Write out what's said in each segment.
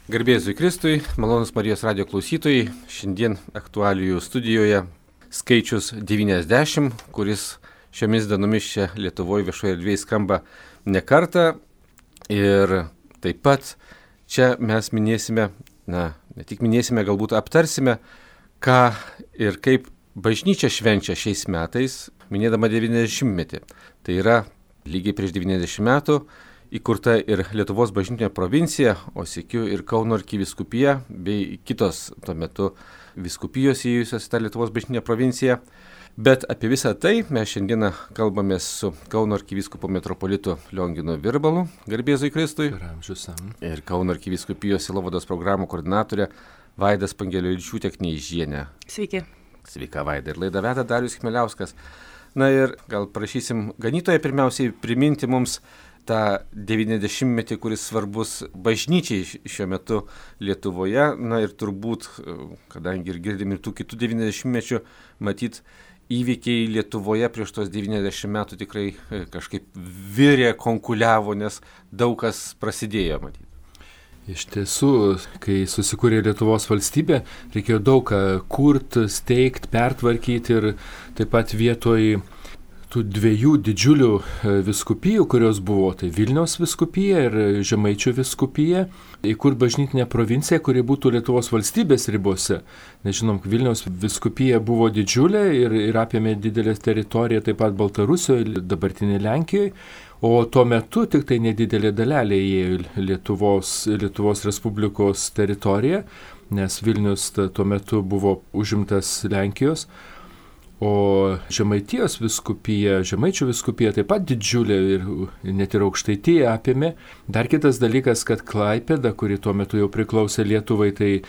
Garbė Jėzui Kristui, malonūs Marijos radijo klausytojai, šiandien aktualijų studijoje skaičius 90, kuris šiomis dienomis čia Lietuvoje viešoje erdvėje skamba ne kartą. Ir taip pat čia mes minėsime, ne tik minėsime, galbūt aptarsime, ką ir kaip bažnyčia švenčia šiais metais, minėdama 90-metį. Tai yra lygiai prieš 90 metų įkurta ir Lietuvos bažnytinė provincija, o sykiu ir Kauno arkivyskupija bei kitos tuo metu vyskupijos įėjusios į tą Lietuvos bažnytinę provinciją. Bet apie visą tai mes šiandieną kalbamės su Kauno arkivyskupu metropolitu Lionginu Virbalu, garbė Jėzui Kristui, ir Kauno arkivyskupijos sielovados programų koordinatorė Vaida Spangelevičiūtė Kneižienė. Sveiki. Sveika Vaida. Ir laidą veda Darius Chmieliauskas. Na ir gal prašysim ganytoją pirmiausiai priminti mums tą 90-metį, kuris svarbus bažnyčiai šiuo metu Lietuvoje. Na ir turbūt, kadangi ir girdim ir tų kitų 90-mečių, matyt, įvykiai Lietuvoje prieš tos 90 metų tikrai kažkaip virė, konkuliavo, nes daug kas prasidėjo, matyt. Iš tiesų, kai susikūrė Lietuvos valstybė, reikėjo daug ką kurti, steigti, pertvarkyti ir taip pat vietoj tų dviejų didžiulių vyskupijų, kurios buvo, tai Vilniaus vyskupija ir Žemaičių vyskupija, įkurti bažnytinę provinciją, kuri būtų Lietuvos valstybės ribose. Nežinom, Vilniaus vyskupija buvo didžiulė ir apėmė didelę teritoriją taip pat Baltarusijoje, dabartinė Lenkijoje, o tuo metu tik tai nedidelė dalelė įėjo Lietuvos Respublikos teritoriją, nes Vilnius tuo metu buvo užimtas Lenkijos. O Žemaitijos vyskupija, Žemaičių vyskupija taip pat didžiulė ir net ir Aukštaitija apėmė. Dar kitas dalykas, kad Klaipėda, kuri tuo metu jau priklausė Lietuvai, tai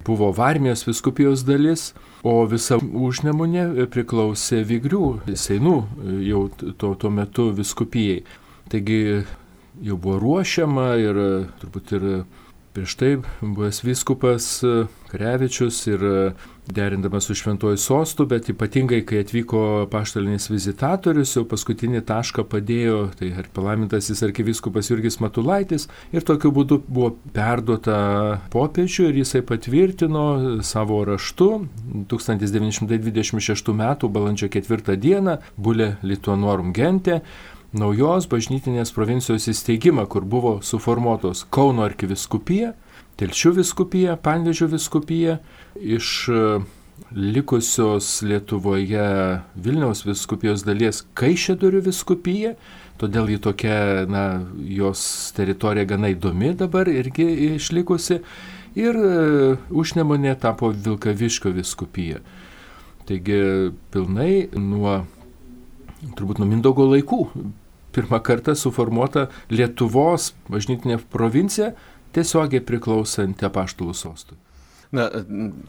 buvo Varmijos vyskupijos dalis, o visa Užnemunė priklausė Vigrių, Seinų jau tuo metu vyskupijai. Taigi jau buvo ruošiama ir turbūt ir prieš tai buvęs vyskupas Karevičius ir derindamas su Šventuoju Sostu, bet ypatingai, kai atvyko apaštalinis vizitatorius, jau paskutinį tašką padėjo, tai palaimintasis arkivyskupas Jurgis Matulaitis, ir tokiu būdu buvo perduota popiežiui ir jisai patvirtino savo raštu 1926 m. balandžio 4 d. Bulle Lituanorum Gente naujos bažnytinės provincijos įsteigimą, kur buvo suformuotos Kauno arkivyskupija, Telšių vyskupija, Panevėžio vyskupija, iš likusios Lietuvoje Vilniaus vyskupijos dalies Kaišiadorių vyskupija, todėl ji tokia, jos teritorija gana įdomi dabar irgi išlikusi, ir Užnemunė tapo Vilkaviškio vyskupija. Taigi pilnai turbūt nuo Mindaugo laikų pirmą kartą suformuota Lietuvos bažnytinė provincija, tiesiogiai priklausanti apaštalų sostui.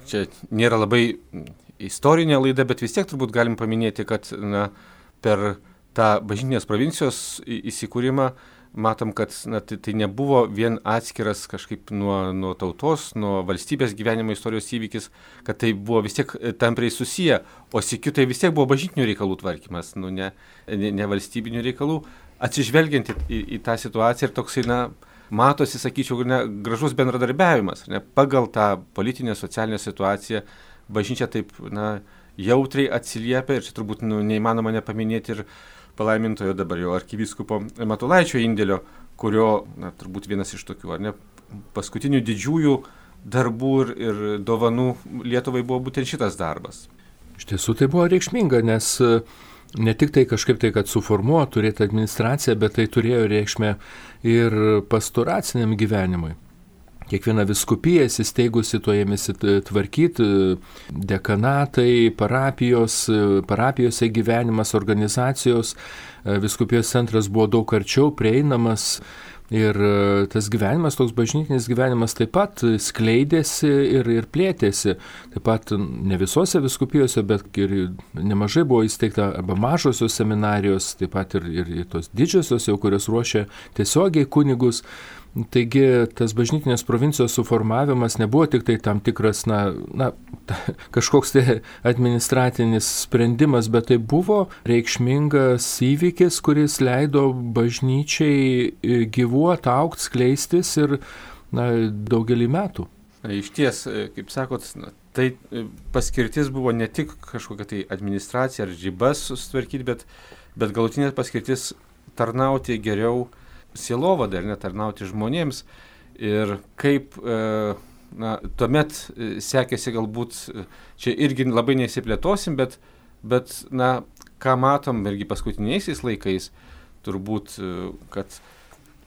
Čia nėra labai istorinė laida, bet vis tiek turbūt galim paminėti, kad per tą bažnytinės provincijos įsikūrimą matom, kad tai nebuvo vien atskiras kažkaip nuo tautos, nuo valstybės gyvenimo istorijos įvykis, kad tai buvo vis tiek tampriai susiję, o sykiu tai vis tiek buvo bažnytinių reikalų tvarkymas, ne valstybinių reikalų, atsižvelgiant į tą situaciją ir toksai, matosi, sakyčiau, gražus bendradarbiavimas. Pagal tą politinę, socialinę situaciją bažnyčia taip jautriai atsiliepia ir čia turbūt neįmanoma nepaminėti ir palaimintojo dabar jau arkivyskupo Matulaičio indėlio, kurio turbūt vienas iš tokių, paskutinių didžiųjų darbų ir dovanų Lietuvai buvo būtent šitas darbas. Iš tiesų tai buvo reikšminga, nes ne tik tai kažkaip tai, kad suformuotų, turėti administraciją, bet tai turėjo reikšmę ir pastoraciniam gyvenimui. Kiekviena vyskupija įsisteigusi to ėmėsi tvarkyti, dekanatai, parapijose gyvenimas, organizacijos, vyskupijos centras buvo daug arčiau prieinamas. Ir tas gyvenimas, toks bažnytinis gyvenimas taip pat skleidėsi ir plėtėsi. Taip pat ne visose vyskupijose, bet ir nemažai buvo įsteigta arba mažosios seminarijos, taip pat ir tos didžiosios, jau kurios ruošia tiesiogiai kunigus. Taigi tas bažnytinės provincijos suformavimas nebuvo tik tai tam tikras, kažkoks tai administratinis sprendimas, bet tai buvo reikšmingas įvykis, kuris leido bažnyčiai gyvuoti, augti, skleistis ir daugelį metų. Iš ties, kaip sakot, tai paskirtis buvo ne tik kažkokia tai administracija ar ribas sutvarkyti, bet galutinė paskirtis tarnauti geriau sielovadai, ar netarnauti žmonėms. Ir kaip tuomet sekėsi galbūt, čia irgi labai nesiplėtosim, bet ką matom irgi paskutiniaisiais laikais, turbūt, kad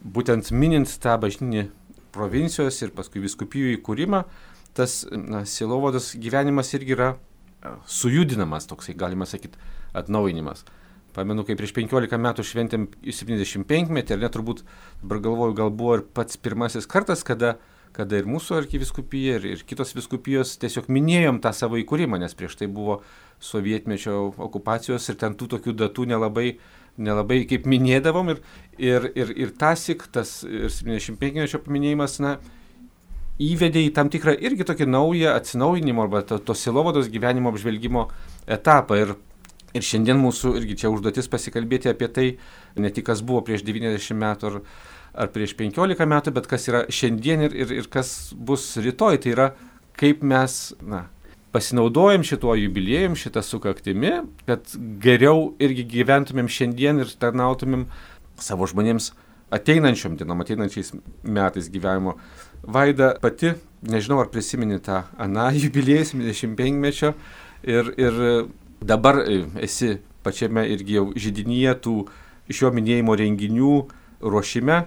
būtent minint tą bažnytinį provincijos ir paskui vyskupijų įkūrimą, tas sielovados gyvenimas irgi yra sujudinamas, toksai, galima sakyti, atnaujinimas. Pamenu, kai prieš 15 metų šventėm 75-metį, ar ne, turbūt, dabar galvoju, gal buvo ir pats pirmasis kartas, kada ir mūsų arkivyskupija, ir kitos vyskupijos tiesiog minėjom tą savo įkūrimą, nes prieš tai buvo sovietmečio okupacijos ir ten tų tokių datų nelabai kaip minėdavom ir tasik, tas 75-mečio paminėjimas, įvedė į tam tikrą irgi tokį naują atsinaujinimo arba to sielovados gyvenimo apžvelgimo etapą. Ir šiandien mūsų irgi čia užduotis pasikalbėti apie tai, ne tik kas buvo prieš 90 metų ar prieš 15 metų, bet kas yra šiandien ir kas bus rytoj. Tai yra, kaip mes pasinaudojam šituo jubiliejum, šitą sukaktimi, kad geriau irgi gyventumėm šiandien ir tarnautumėm savo žmonėms ateinančiais metais gyvenimo. Vaida pati, nežinau ar prisimeni tą jubiliejus 25-mečio ir dabar esi pačiame irgi jau židinyje tų šio minėjimo renginių ruošime.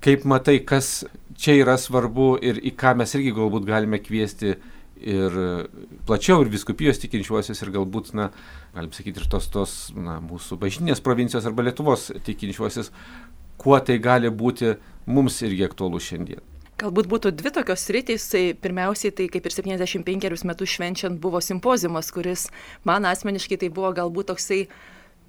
Kaip matai, kas čia yra svarbu ir į ką mes irgi galbūt galime kviesti ir plačiau ir vyskupijos tikinčiuosius ir galbūt, galim sakyti, ir tos mūsų bažnytinės provincijos arba Lietuvos tikinčiuosius, kuo tai gali būti mums irgi aktualu šiandien. Galbūt būtų dvi tokios sritys, tai pirmiausiai tai kaip ir 75 metus švenčiant buvo simpoziumas, kuris man asmeniškai tai buvo galbūt toksai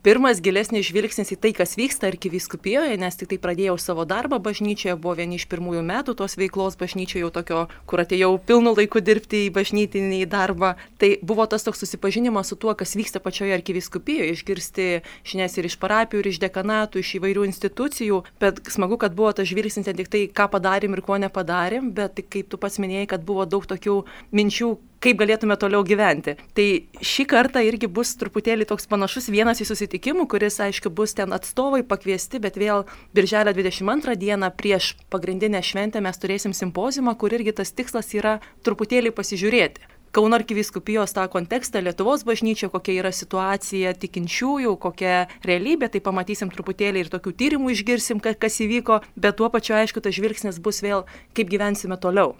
pirmas gilesnis žvilgsnis į tai, kas vyksta arkivyskupijoje, nes tik tai pradėjau savo darbą bažnyčioje, buvo vieni iš pirmųjų metų tos veiklos bažnyčioje, jau tokio, kur atėjau pilnu laiku dirbti į bažnytinį darbą. Tai buvo tas toks susipažinimas su tuo, kas vyksta pačioje arkivyskupijoje, išgirsti žinias ir iš parapijų, ir iš dekanatų, iš įvairių institucijų, bet smagu, kad buvo tas žvilgsnis ne tik tai, ką padarėm ir ko nepadarėm, bet tik kaip tu pats minėjai, kad buvo daug tokių minčių, kaip galėtume toliau gyventi. Tai šį kartą irgi bus truputėlį toks panašus vienas į susitikimų, kuris, aišku, bus ten atstovai pakviesti, bet vėl birželio 22 dieną prieš pagrindinę šventę mes turėsim simpoziumą, kur irgi tas tikslas yra truputėlį pasižiūrėti. Kauno arkivyskupijos tą kontekstą, Lietuvos bažnyčio, kokia yra situacija tikinčiųjų, kokia realybė, tai pamatysim truputėlį ir tokių tyrimų išgirsim, kas įvyko, bet tuo pačiu, aišku, tas žvilgsnis bus vėl, kaip gyvensime toliau.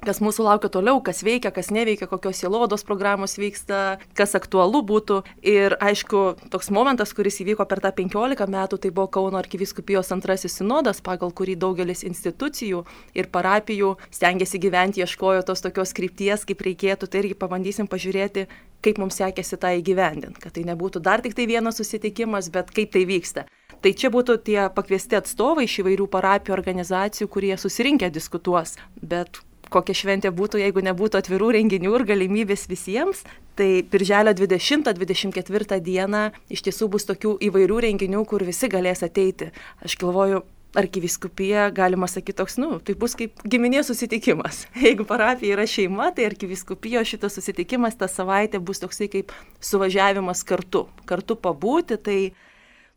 Kas mūsų laukia toliau, kas veikia, kas neveikia, kokios sielovados programos vyksta, kas aktualu būtų. Ir aišku, toks momentas, kuris įvyko per tą 15 metų, tai buvo Kauno arkivyskupijos antrasis sinodas, pagal kurį daugelis institucijų ir parapijų stengiasi gyventi, ieškojo tos tokios krypties, kaip reikėtų, tai irgi pabandysim pažiūrėti, kaip mums sekėsi tą įgyvendinti, kad tai nebūtų dar tik tai vienas susitikimas, bet kaip tai vyksta. Tai čia būtų tie pakviesti atstovai iš įvairių parapijų organizacijų, kurie susirinkę diskutuos, bet kokia šventė būtų, jeigu nebūtų atvirų renginių ir galimybės visiems. Tai birželio 20-24 dieną iš tiesų bus tokių įvairių renginių, kur visi galės ateiti. Aš galvoju, arkivyskupija, galima sakyti, toks, tai bus kaip giminės susitikimas. Jeigu parapija yra šeima, tai arkivyskupijos šitas susitikimas tą savaitę bus toksai kaip suvažiavimas kartu pabūti, tai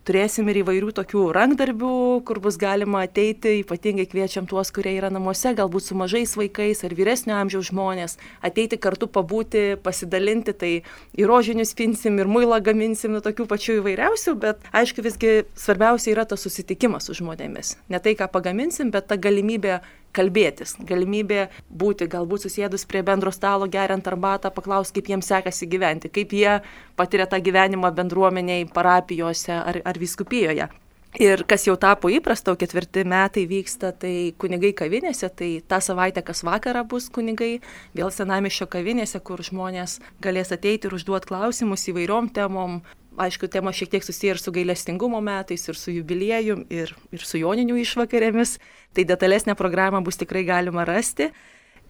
turėsim ir įvairių tokių rankdarbių, kur bus galima ateiti, ypatingai kviečiam tuos, kurie yra namuose, galbūt su mažais vaikais ar vyresnio amžiaus žmonės, ateiti kartu pabūti, pasidalinti, tai ir rožinius pinsim, ir muilą gaminsim, tokių pačių įvairiausių, bet aišku visgi svarbiausia yra tas susitikimas su žmonėmis. Ne tai, ką pagaminsim, bet ta galimybė kalbėtis, galimybė būti, galbūt susėdus prie bendro stalo, geriant arbatą, paklausti, kaip jiems sekasi gyventi, kaip jie patiria tą gyvenimą bendruomeniai, parapijose ar vyskupijoje. Ir kas jau tapo įprasta, 4 metai vyksta, tai kunigai kavinėse, tai tą savaitę kas vakarą bus kunigai, vėl senamiesčio kavinėse, kur žmonės galės ateiti ir užduoti klausimus įvairiom temom. Aišku, tema šiek tiek susiję ir su gailestingumo metais, ir su jubiliejum, ir su joninių išvakarėmis. Tai detalesnę programą bus tikrai galima rasti.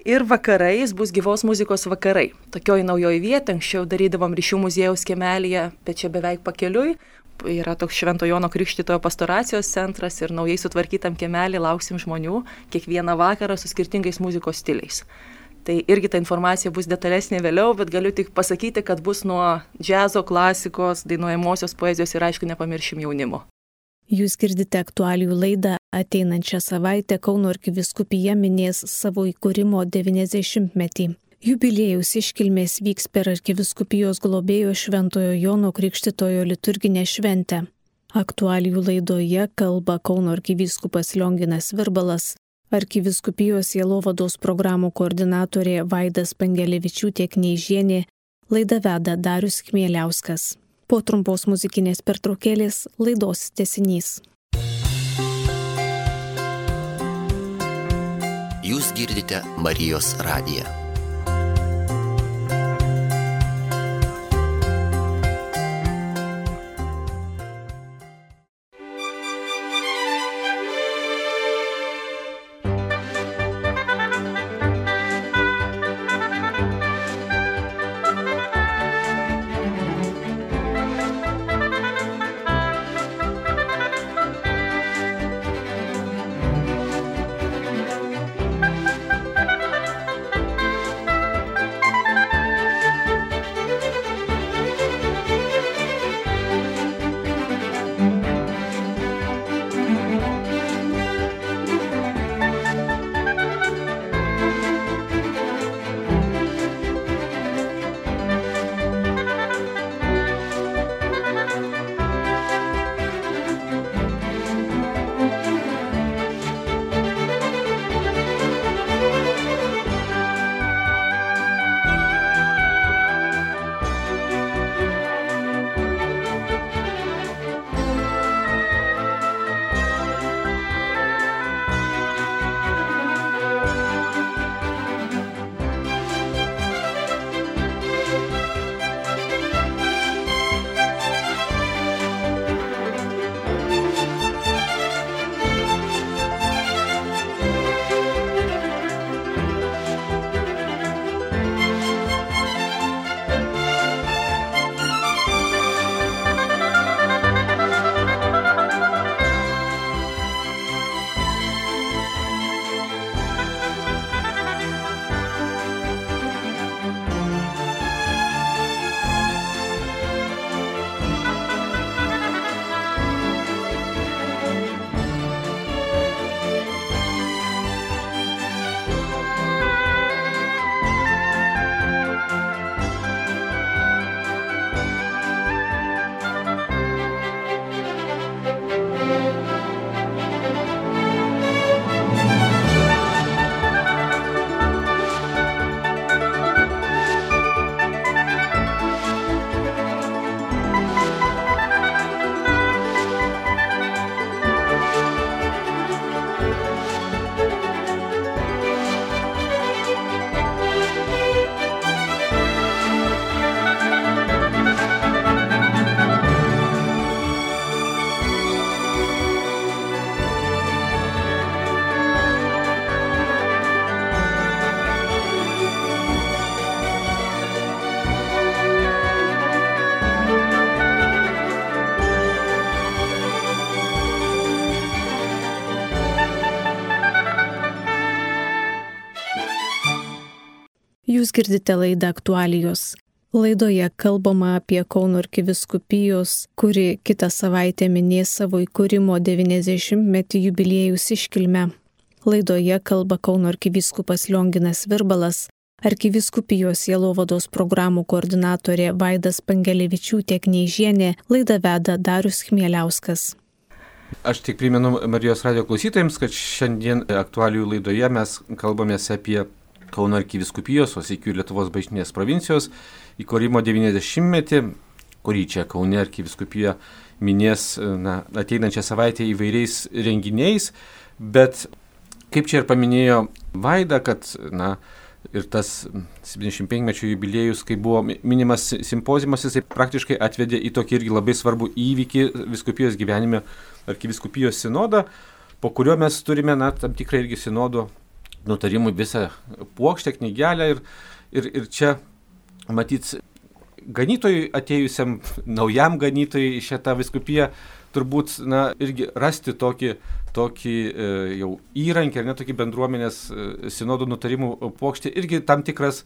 Ir vakarais bus gyvos muzikos vakarai. Tokioj naujoje vietoje, anksčiau darydavom Ryšių muziejaus kiemelyje, bet čia beveik pakeliui. yra toks Švento Jono Krikštytojo pastoracijos centras ir naujai sutvarkytam kiemelį lauksim žmonių kiekvieną vakarą su skirtingais muzikos stiliais. Tai irgi ta informacija bus detalesnė vėliau, bet galiu tik pasakyti, kad bus nuo džiazo, klasikos, dainuojamosios poezijos ir aišku nepamiršim jaunimo. Jūs girdite aktualijų laidą. Ateinančią savaitę Kauno arkivyskupija minės savo įkūrimo 90-metį. Jubiliejaus iškilmės vyks per arkivyskupijos globėjo Šventojo Jono Krikštytojo liturginę šventę. Aktualijų laidoje kalba Kauno arkivyskupas Lionginas Virbalas, arkivyskupijos sielovados programų koordinatorė Vaida Spangelevičiūtė Kneižienė, laidą veda Darius Chmieliauskas. Po trumpos muzikinės pertraukėlės laidos tęsinys. Jūs girdite Marijos radiją. Jūs girdite laidą aktualijos. Laidoje kalbama apie Kauno arkivyskupijos, kuri kitą savaitę minės savo įkūrimo 90-metį jubiliejaus iškilmę. Laidoje kalba Kauno arkivyskupas Lionginas Virbalas, arkivyskupijos sielovados programų koordinatorė Vaida Spangelevičiūtė Kneižienė, laidą veda Darius Chmieliauskas. Aš tik primenu Marijos radijo klausytojams, kad šiandien aktualijų laidoje mes kalbamės apie Kauno arkivyskupijos, o sykiu Lietuvos bažnytinės provincijos įkūrimo 90-metį, kurį čia Kaune arkivyskupija minės ateinančią savaitę įvairiais renginiais, bet kaip čia ir paminėjo Vaida, kad ir tas 75-mečio jubiliejus, kai buvo minimas simpoziumas, jisai praktiškai atvedė į tokį irgi labai svarbų įvykį vyskupijos gyvenime, arkivyskupijos sinodą, po kurio mes turime tam tikrą irgi sinodo nutarimų visą puokštę, knygelę ir čia matyt ganytojui atėjusiam, naujam ganytojui į šitą vyskupiją, turbūt, irgi rasti tokį jau įrankį, ar ne, tokį bendruomenės sinodų nutarimų puokštį, irgi tam tikras,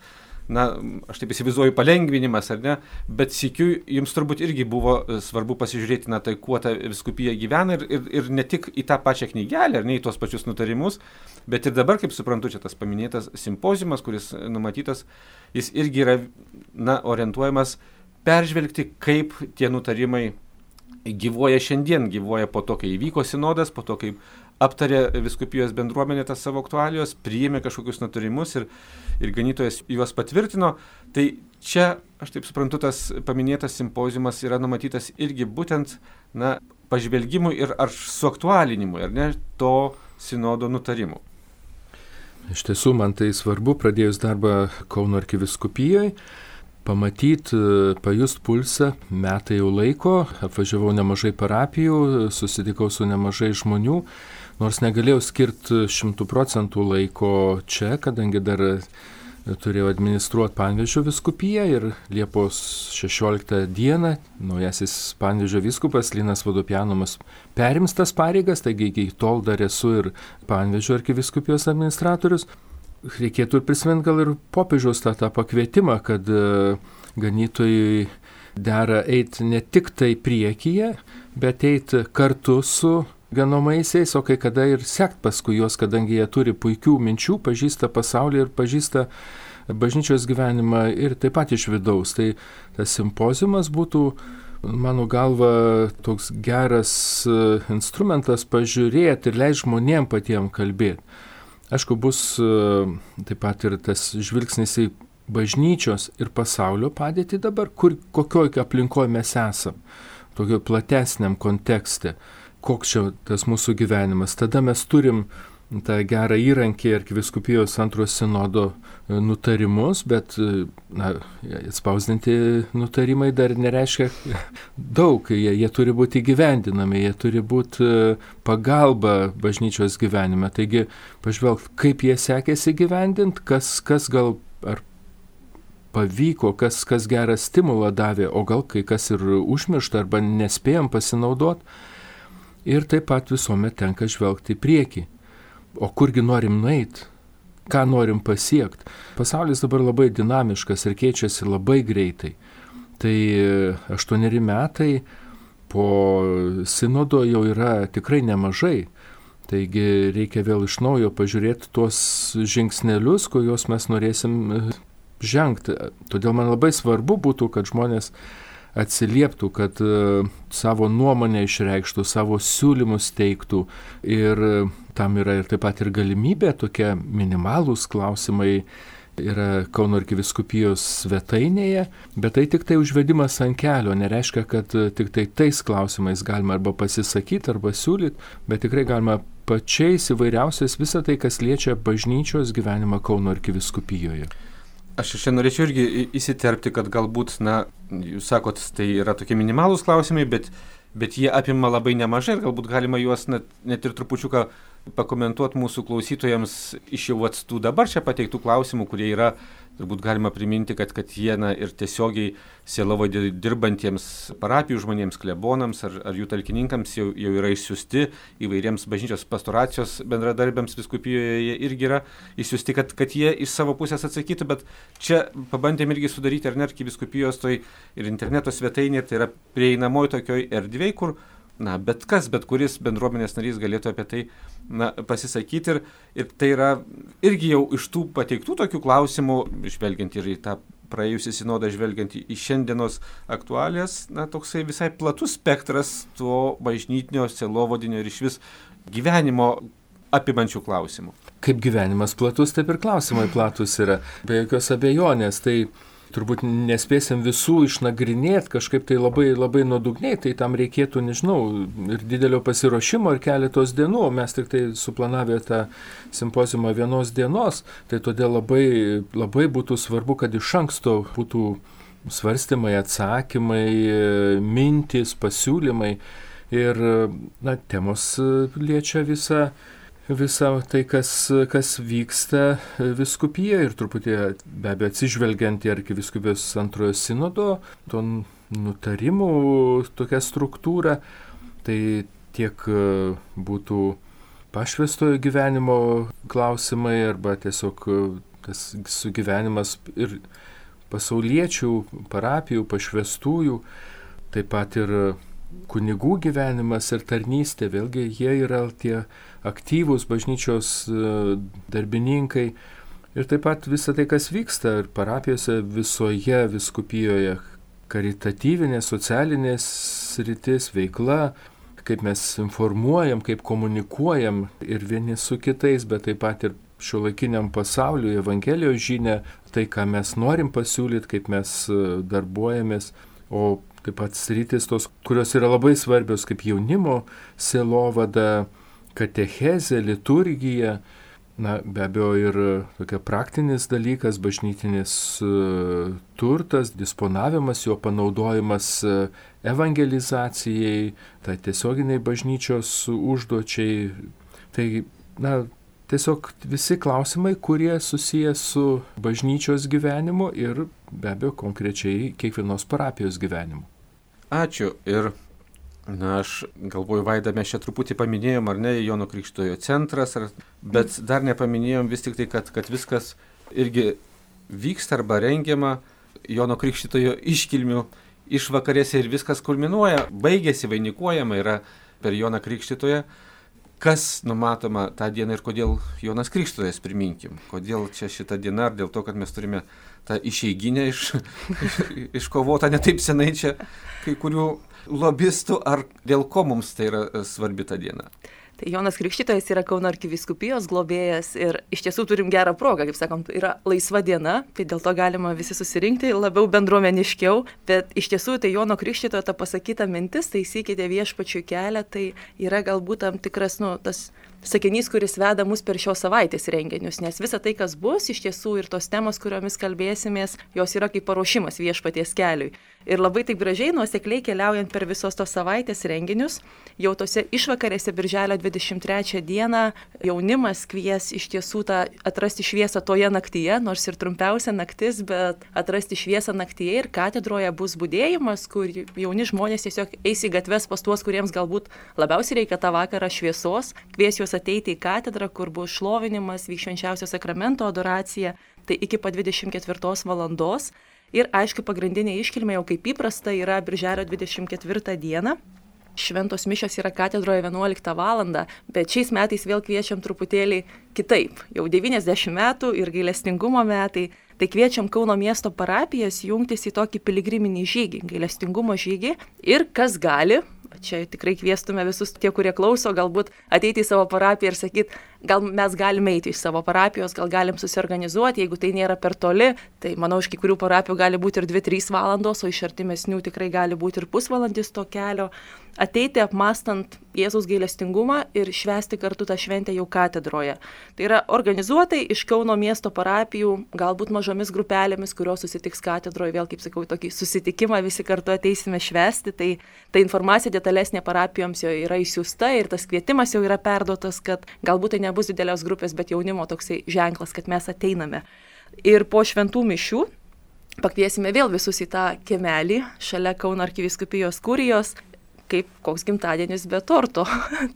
aš taip įsivaizduoju, palengvinimas, ar ne, bet sykiu jums turbūt irgi buvo svarbu pasižiūrėti, tai kuo ta vyskupija gyvena ir ne tik į tą pačią knygelę, ar ne, į tuos pačius nutarimus, bet ir dabar, kaip suprantu, čia tas paminėtas simpoziumas, kuris numatytas, jis irgi yra, orientuojamas peržvelgti, kaip tie nutarimai gyvuoja šiandien, gyvuoja po to, kai įvyko sinodas, po to, kai aptarė vyskupijos bendruomenė tas savo aktualijos, priėmė kažkokius nutarimus ir ganytojas juos patvirtino. Tai čia, aš taip suprantu, tas paminėtas simpoziumas yra numatytas irgi būtent, pažvelgimui ir ar suaktualinimui, ar ne, to sinodo nutarimų. Iš tiesų, man tai svarbu, pradėjus darbą Kauno arkivyskupijoje, pamatyti, pajust pulsą, metai jau laiko, apvažiavau nemažai parapijų, susitikau su nemažai žmonių, nors negalėjau skirti 100% laiko čia, kadangi dar turėjau administruoti Panevėžio vyskupiją ir Liepos 16 dieną naujasis Panevėžio vyskupas Linas Vodopjanovas perims tas pareigas, taigi iki tol dar esu ir Panevėžio arkivyskupijos administratorius. Reikėtų ir prisiminti gal ir popiežiaus tą pakvietimą, kad ganytojui dera eiti ne tik tai priekyje, bet eiti kartu su ganomaisiais, o kai kada ir sekt paskui juos, kadangi jie turi puikių minčių, pažįsta pasaulį ir pažįsta bažnyčios gyvenimą ir taip pat iš vidaus. Tai tas simpoziumas būtų, mano galva, toks geras instrumentas pažiūrėti ir leis žmonėm patiem kalbėti. Aišku, bus taip pat ir tas žvilgsnis į bažnyčios ir pasaulio padėtį dabar, kokioj aplinkoje mes esam, tokio platesniam kontekste, koks čia tas mūsų gyvenimas. Tada mes turim tą gerą įrankį arkivyskupijos antrojo sinodo nutarimus, bet spausdinti nutarimai dar nereiškia daug, jie turi būti įgyvendinami, jie turi būti pagalba bažnyčios gyvenime. Taigi pažvelgti, kaip jie sekėsi gyvendinti, kas gal ar pavyko, kas gerą stimulą davė, o gal kai kas ir užmiršta arba nespėjom pasinaudoti. Ir taip pat visuomet tenka žvelgti į priekį. O kurgi norim nueiti, ką norim pasiekti. Pasaulis dabar labai dinamiškas ir keičiasi labai greitai. Tai 8 metai po sinodo jau yra tikrai nemažai. Taigi reikia vėl iš naujo pažiūrėti tuos žingsnelius, kuriuos mes norėsim žengti. Todėl man labai svarbu būtų, kad žmonės atsilieptų, kad savo nuomonę išreikštų, savo siūlymus teiktų ir tam yra ir taip pat ir galimybė, tokie minimalūs klausimai yra Kauno arkivyskupijos svetainėje, bet tai tik tai užvedimas ant kelio, nereiškia, kad tik tai tais klausimais galima arba pasisakyti, arba siūlyti, bet tikrai galima pačiais įvairiausiais visą tai, kas liečia bažnyčios gyvenimą Kauno arkivyskupijoje. Aš čia norėčiau irgi įsiterpti, kad galbūt, jūs sakot, tai yra tokie minimalūs klausimai, bet jie apima labai nemažai ir galbūt galima juos net ir trupučiuką pakomentuoti mūsų klausytojams iš jau tų dabar čia pateiktų klausimų, kurie yra, turbūt galima priminti, kad jie ir tiesiogiai sielovadoje dirbantiems parapijų žmonėms, klebonams ar jų talkininkams jau yra išsiųsti, įvairiems bažnyčios pastoracijos bendradarbiams vyskupijoje jie irgi yra išsiųsti, kad jie iš savo pusės atsakytų, bet čia pabandėm irgi sudaryti arkivyskupijos toj ir interneto svetainė, tai yra prieinamoji tokioj erdvėj, kur bet kuris bendruomenės narys galėtų apie tai pasisakyti ir tai yra irgi jau iš tų pateiktų tokių klausimų, žvelgiant ir į tą praėjusį sinodą, žvelgiant į šiandienos aktualijas, toksai visai platus spektras to bažnytinio, sielovadinio ir išvis gyvenimo apimančių klausimų. Kaip gyvenimas platus, taip ir klausimai platus yra. Be jokios abejonės, tai turbūt nespėsim visų išnagrinėti kažkaip tai labai, labai nuodugniai, tai tam reikėtų, nežinau, ir didelio pasiruošimo ir keletos dienų, mes tik tai suplanavę tą simpoziumą 1 dienos, tai todėl labai, labai būtų svarbu, kad iš anksto būtų svarstymai, atsakymai, mintys, pasiūlymai ir temos liečia visą visą tai, kas vyksta vyskupijoje ir truputį be abejo atsižvelgiant į arkivyskupijos antrojo sinodo, to nutarimų tokia struktūra, tai tiek būtų pašvęstojo gyvenimo klausimai arba tiesiog tas sugyvenimas ir pasauliečių, parapijų, pašvęstųjų, taip pat ir kunigų gyvenimas ir tarnystė, vėlgi jie yra tie aktyvūs bažnyčios darbininkai ir taip pat visą tai, kas vyksta ir parapijose visoje vyskupijoje, karitatyvinė, socialinė sritis, veikla, kaip mes informuojam, kaip komunikuojam ir vieni su kitais, bet taip pat ir šiuolaikiniam pasauliu, Evangelijos žinia, tai, ką mes norim pasiūlyti, kaip mes darbuojamės, o taip pat sritis tos, kurios yra labai svarbios, kaip jaunimo sielovada, katechezė, liturgija, be abejo ir tokia praktinis dalykas, bažnytinis turtas, disponavimas, jo panaudojimas evangelizacijai, tai tiesioginiai bažnyčios užduočiai. Tai, tiesiog visi klausimai, kurie susiję su bažnyčios gyvenimu ir be abejo konkrečiai kiekvienos parapijos gyvenimu. Ačiū. Ir aš galvoju, Vaida, mes čia truputį paminėjom, ar ne, Jono Krikštytojo centras, bet dar nepaminėjom vis tik tai, kad viskas irgi vyksta arba rengiama Jono Krikštytojo iškilmių išvakarėse ir viskas kulminuoja, baigėsi, vainikuojama yra per Joną Krikštytoją. Kas numatoma tą dieną ir kodėl Jonas Krikštytojas, priminkim? Kodėl čia šita diena, ar dėl to, kad mes turime tą išeiginę iškovotą ne taip senai čia kai kurių lobistų, ar dėl ko mums tai yra svarbi ta diena? Tai Jonas Krikštytojas yra Kauno arkivyskupijos globėjas ir iš tiesų turim gerą progą, kaip sakom, yra laisva diena, tai dėl to galima visi susirinkti labiau bendruomeniškiau, bet iš tiesų tai Jono Krikštytojo ta pasakyta mintis, taisykite viešpačiui kelią, tai yra galbūt tam tikras, tas sakinys, kuris veda mus per šios savaitės renginius, nes visa tai, kas bus, iš tiesų ir tos temos, kuriomis kalbėsimės, jos yra kaip paruošimas viešpaties keliui. Ir labai taip gražiai, nuosekliai keliaujant per visos tos savaitės renginius, jau tose išvakarėse birželio 23 dieną jaunimas kvies iš tiesų atrasti šviesą toje naktyje, nors ir trumpiausia naktis, bet atrasti šviesą naktyje ir katedroje bus budėjimas, kur jauni žmonės tiesiog eis į gatves pas tuos, kuriems galbūt labiausiai reikia tą vakarą šviesos, kvies juos ateiti į katedrą, kur bus šlovinimas, vyks švenčiausio sakramento adoracija, tai iki pat 24 valandos. Ir aišku, pagrindinė iškilmė jau kaip įprasta yra birželio 24 dieną. Šventos mišios yra katedroje 11 valandą, bet šiais metais vėl kviečiam truputėlį kitaip. Jau 90 metų ir gailestingumo metai, tai kviečiam Kauno miesto parapijas jungtis į tokį piligriminį žygį, gailestingumo žygį. Ir kas gali, čia tikrai kviestume visus tie, kurie klauso, galbūt ateiti į savo parapiją ir sakyti, gal mes galime eiti iš savo parapijos, gal galim susiorganizuoti, jeigu tai nėra per toli, tai manau, iš kai kurių parapijų gali būti ir 2-3 valandos, o iš artimesnių tikrai gali būti ir pusvalandis to kelio. Ateiti apmastant Jėzaus gailestingumą ir švęsti kartu tą šventę jau katedroje. Tai yra organizuotai iš Kauno miesto parapijų, galbūt mažomis grupelėmis, kurios susitiks katedroje, vėl kaip sakau, tokį susitikimą visi kartu ateisime švęsti, tai ta informacija detalesnė parapijoms jau yra išsiųsta ir tas kvietimas jau yra perduotas, kad galbūt tai nebus didelės grupės, bet jaunimo toksai ženklas, kad mes ateiname. Ir po šventų mišių pakviesime vėl visus į tą kiemelį šalia Kauno arkivyskupijos kurijos, kaip koks gimtadienis be torto.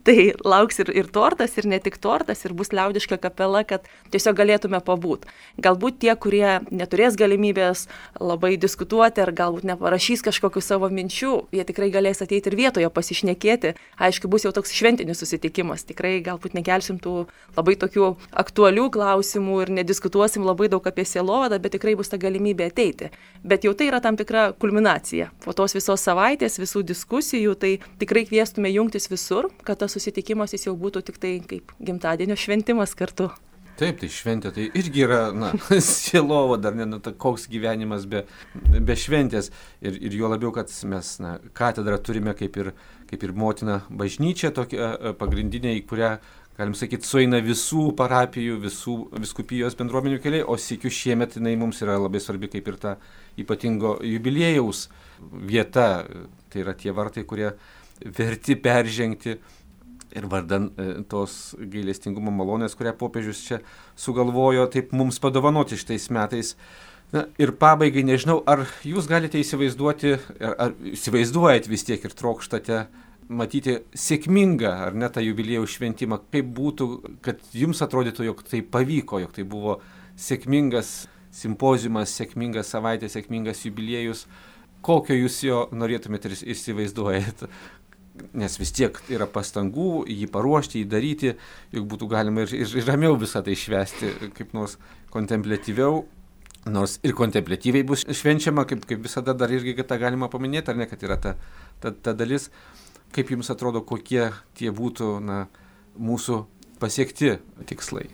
Tai lauks ir tortas, ir ne tik tortas, ir bus liaudiška kapela, kad tiesiog galėtume pabūt. Galbūt tie, kurie neturės galimybės labai diskutuoti, ar galbūt neparašys kažkokių savo minčių, jie tikrai galės ateiti ir vietoje pasišnekėti. Aišku, bus jau toks šventinis susitikimas. Tikrai galbūt nekelsim tų labai tokių aktualių klausimų ir nediskutuosim labai daug apie sielovadą, bet tikrai bus ta galimybė ateiti. Bet jau tai yra tam tikra kulminacija. Po tos visos savaitės, visų diskusijų, tai tikrai kviestume jungtis visur, kad tas susitikimas jis jau būtų tik tai kaip gimtadienio šventimas kartu. Taip, tai šventė, tai irgi yra, sielovada, dar ne, koks gyvenimas be šventės. Ir juo labiau, kad mes katedrą turime kaip ir motina bažnyčia, tokia pagrindinė, į kurią, galim sakyti, sueina visų parapijų, visų vyskupijos bendruomenių keliai, o sykiu šiemet jinai mums yra labai svarbi kaip ir ta ypatingo jubiliejaus vieta. Tai yra tie vartai, kurie verti peržengti ir vardan tos gailestingumo malonės, kurią popiežius čia sugalvojo taip mums padovanoti šitais metais. Na, ir pabaigai nežinau, ar jūs galite įsivaizduoti, ar įsivaizduojat vis tiek ir trokštate matyti sėkmingą, ar ne, tą jubiliejaus šventimą, kaip būtų, kad jums atrodytų, jog tai pavyko, jog tai buvo sėkmingas simpoziumas, sėkminga savaitė, sėkmingas jubiliejus, kokio jūs jo norėtumėte ir įsivaizduojate. Nes vis tiek yra pastangų jį paruošti, jį daryti, juk būtų galima ir ramiau visą tai švęsti, kaip nors kontempliatyviau. Nors ir kontempliatyviai bus švenčiama, kaip visada dar irgi tą galima paminėti, ar ne, kad yra ta dalis. Kaip jums atrodo, kokie tie būtų mūsų pasiekti tikslai?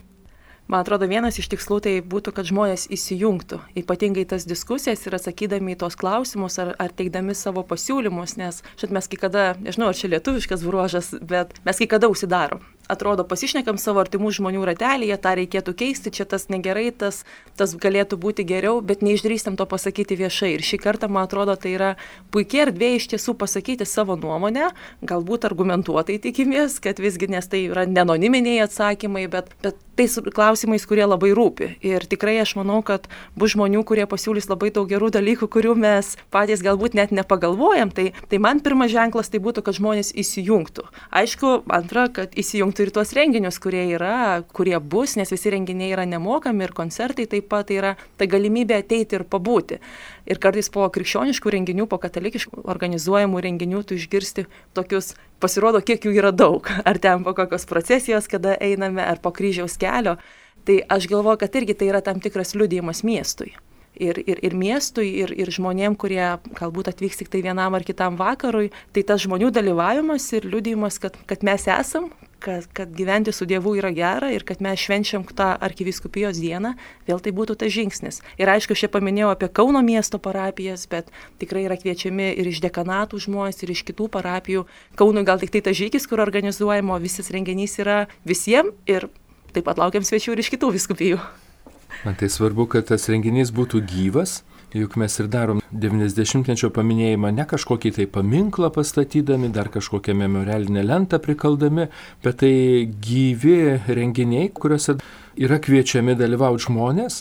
Man atrodo, vienas iš tikslų tai būtų, kad žmonės įsijungtų, ypatingai tas diskusijas ir atsakydami į tos klausimus ar teikdami savo pasiūlymus, nes šit mes kai kada, nežinau, ar čia lietuviškas bruožas, bet mes kai kada užsidarom. Atrodo, pasišnekam savo artimų žmonių ratelyje, tą reikėtų keisti, čia tas negerai, tas galėtų būti geriau, bet neišdrįstam to pasakyti viešai. Ir šį kartą, man atrodo, tai yra puikiai erdvė iš tiesų pasakyti savo nuomonę, galbūt argumentuotai tikimės, kad visgi, nes tai yra nenoniminiai atsakymai, bet tais klausimais, kurie labai rūpi. Ir tikrai aš manau, kad bus žmonių, kurie pasiūlys labai daug gerų dalykų, kurių mes patys galbūt net nepagalvojam. Tai man pirmas ženklas tai būtų, kad žmonės įsijungtų. Aišku, antra, kad įsijungtų ir tuos renginius, kurie bus, nes visi renginiai yra nemokami ir koncertai taip pat yra ta galimybė ateiti ir pabūti. Ir kartais po krikščioniškų renginių, po katalikiškų organizuojamų renginių tu išgirsti tokius, pasirodo, kiek jų yra daug. Ar ten po kokios procesijos, kada einame, ar po kryžiaus kelio. Tai aš galvoju, kad irgi tai yra tam tikras liudijimas miestui. Ir miestui, ir žmonėm, kurie galbūt atvyks tik tai vienam ar kitam vakarui, tai tas žmonių dalyvavimas ir liudijimas, kad mes esam, kad gyventi su Dievu yra gera ir kad mes švenčiam tą arkivyskupijos dieną, vėl tai būtų tas žingsnis. Ir aišku, aš čia paminėjau apie Kauno miesto parapijas, bet tikrai yra kviečiami ir iš dekanatų žmonės, ir iš kitų parapijų. Kaunui gal tik tai tas žygis, kur organizuojamo, visas renginys yra visiems ir taip pat laukiam svečių ir iš kitų vyskupijų. Man tai svarbu, kad tas renginys būtų gyvas, juk mes ir darom 90-mečio paminėjimą ne kažkokį tai paminklą pastatydami, dar kažkokią memorialinę lentą prikaldami, bet tai gyvi renginiai, kuriuose yra kviečiami dalyvauti žmonės.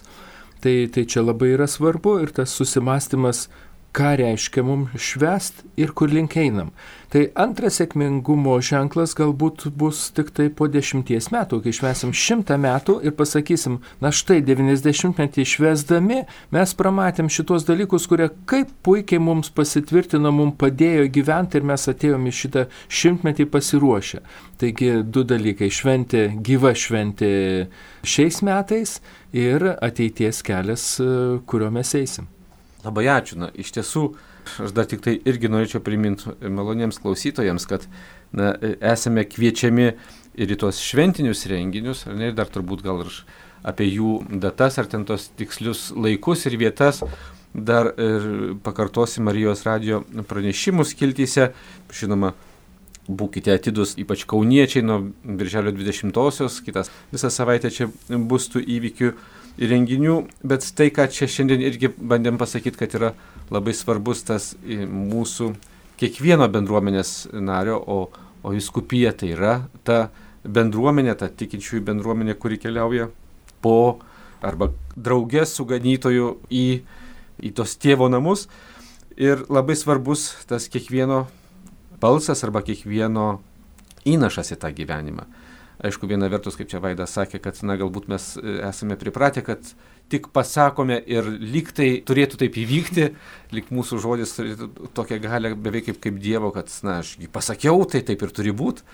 Tai čia labai yra svarbu ir tas susimąstymas, ką reiškia mums švęst ir kur link einam. Tai antras sėkmingumo ženklas galbūt bus tik tai po 10 metų, kai švęsim 100 metų ir pasakysim, na štai 90-metį švęsdami mes pramatėm šitos dalykus, kurie kaip puikiai mums pasitvirtino, mums padėjo gyventi ir mes atėjom į šitą 100-metį pasiruošę. Taigi 2 dalykai - šventė, gyva šventė šiais metais ir ateities kelias, kuriuo mes eisim. Labai ačiū. Iš tiesų, aš dar tik tai irgi norėčiau priminti maloniems klausytojams, kad esame kviečiami ir į tos šventinius renginius, ar ne, ir dar turbūt gal ir apie jų datas, ar ten tos tikslius laikus ir vietas, dar ir pakartosim Marijos radijo pranešimų skiltyse. Žinoma, būkite atidus, ypač kauniečiai, nuo birželio 20-osios, kitas visą savaitę čia bus tų įvykių ir renginių, bet tai, ką čia šiandien irgi bandėm pasakyti, kad yra labai svarbus tas mūsų kiekvieno bendruomenės nario, o vyskupija tai yra ta bendruomenė, ta tikinčiųjų bendruomenė, kuri keliauja po arba draugės su ganytoju į tos tėvo namus. Ir labai svarbus tas kiekvieno balsas arba kiekvieno įnašas į tą gyvenimą. Aišku, viena vertus, kaip čia Vaidas sakė, kad galbūt mes esame pripratę, kad tik pasakome ir lyg tai turėtų taip įvykti, lyg mūsų žodis turėtų tokią galią beveik kaip Dievo, kad aš jį pasakiau, tai taip ir turi būti.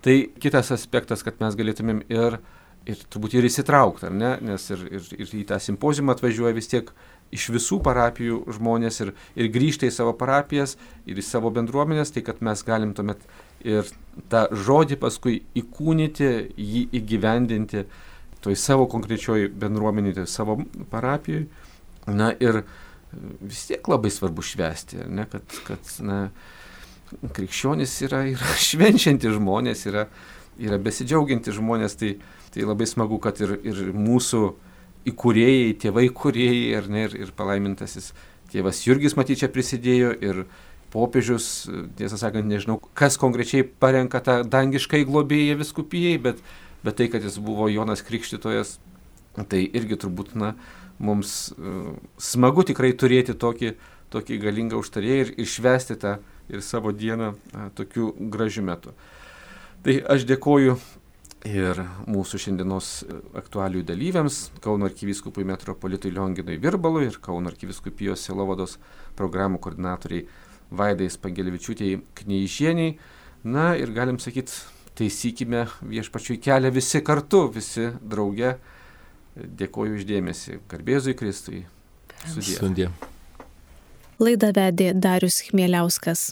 Tai kitas aspektas, kad mes galėtumėm ir turbūt ir įsitraukti, ar ne? Nes ir į tą simpoziumą atvažiuoja vis tiek iš visų parapijų žmonės ir grįžta į savo parapijas ir į savo bendruomenės, tai kad mes galim tuomet ir tą žodį paskui įkūnyti, jį įgyvendinti toj savo konkrečioj bendruomenėje, toj savo parapijoj. Na ir vis tiek labai svarbu švęsti, ne? Kad krikščionys yra švenčiantys žmonės, yra besidžiaugiantys žmonės, tai labai smagu, kad ir mūsų įkūrėjai, tėvai kūrėjai, ar ne, ir palaimintasis tėvas Jurgis matyt čia prisidėjo, popiežius, tiesą sakant, nežinau, kas konkrečiai parenka tą dangiškai globėją vyskupijai, bet tai, kad jis buvo Jonas Krikštytojas, tai irgi turbūt, mums smagu tikrai turėti tokį galingą užtarėją ir švęsti tą ir savo dieną tokiu gražiu metu. Tai aš dėkoju ir mūsų šiandienos aktualijų dalyviams, Kauno arkivyskupui metropolitui Lionginui Virbalui ir Kauno arkivyskupijos sielovados programų koordinatoriai Vaidai Spangelevičiūtei Kneižieniai. Na ir galim sakyti, taisykime viešpačiui kelią visi kartu, visi drauge. Dėkoju uždėmesi. Garbėzui Kristui. Sudie. Laidą vedė Darius Chmieliauskas.